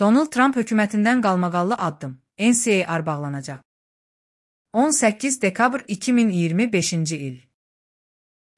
Donald Trump hökumətindən qalmaqallı addım. NCAR bağlanacaq. 18 dekabr 2025-ci il.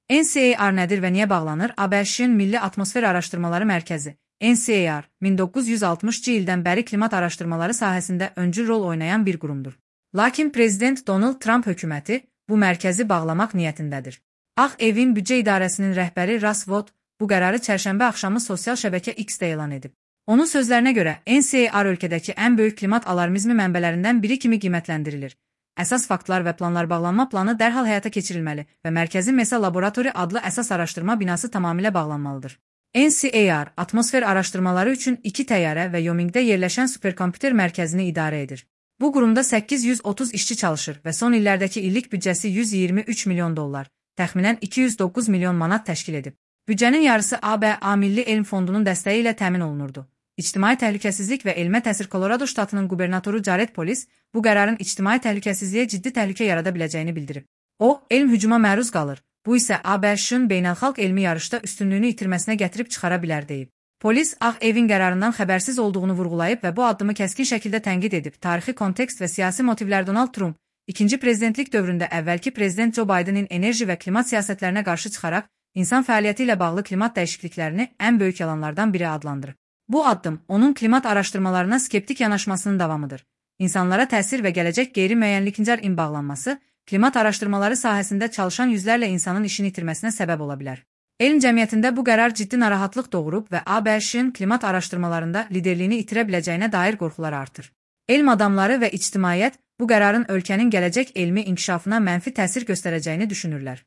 NCAR nədir və niyə bağlanır? ABŞ-ın Milli Atmosfer Araşdırmaları Mərkəzi NCAR 1960-cı ildən bəri klimat araşdırmaları sahəsində öncül rol oynayan bir qurumdur. Lakin Prezident Donald Trump hökuməti bu mərkəzi bağlamaq niyyətindədir. Ağ Evin Büdcə İdarəsinin rəhbəri Ross Vought bu qərarı çərşənbə axşamı sosial şəbəkə X-də elan edib. Onun sözlərinə görə NCAR ölkədəki ən böyük klimat alarmizmi mənbələrindən biri kimi qiymətləndirilir. Əsas faktlar və planlar bağlanma planı dərhal həyata keçirilməli və Mərkəzi Mesa Laboratori adlı əsas araşdırma binası tamamilə bağlanmalıdır. NCAR atmosfer araşdırmaları üçün 2 təyyarə və Wyomingdə yerləşən superkomputer mərkəzini idarə edir. Bu qurumda 830 işçi çalışır və son illərdəki illik büdcəsi $123 milyon, təxminən 209 milyon manat təşkil edib. Büdcənin yarısı ABA Milli Elm Fondunun dəstəyi ilə təmin olunurdu. İctimai Təhlükəsizlik və Elmə Təsir Kolorado ştatının qubernatoru Jared Polis bu qərarın ictimai təhlükəsizliyə ciddi təhlükə yarada biləcəyini bildirib. O, elm hücuma məruz qalır. Bu isə ABŞ-ın beynəlxalq elmi yarışda üstünlüyünü itirməsinə gətirib çıxara bilər deyib. Polis Ağ Evin qərarından xəbərsiz olduğunu vurğulayıb və bu addımı kəskin şəkildə tənqid edib. Tarixi kontekst və siyasi motivlər Donald Trump, ikinci prezidentlik dövründə əvvəlki prezident Joe Bidenin enerji və klimat siyasətlərinə qarşı çıxaraq, insan fəaliyyəti ilə bağlı klimat dəyişikliklərini ən böyük yalanlardan biri adlandırıb. Bu addım onun klimat araşdırmalarına skeptik yanaşmasının davamıdır. İnsanlara təsir və gələcək qeyri-müəyyənlikincə bağlanması, klimat araşdırmaları sahəsində çalışan yüzlərlə insanın işini itirməsinə səbəb ola bilər. Elm cəmiyyətində bu qərar ciddi narahatlıq doğurub və ABŞ-ın klimat araşdırmalarında liderliyini itirə biləcəyinə dair qorxular artır. Elm adamları və ictimaiyyət bu qərarın ölkənin gələcək elmi inkişafına mənfi təsir göstərəcəyini düşünürlər.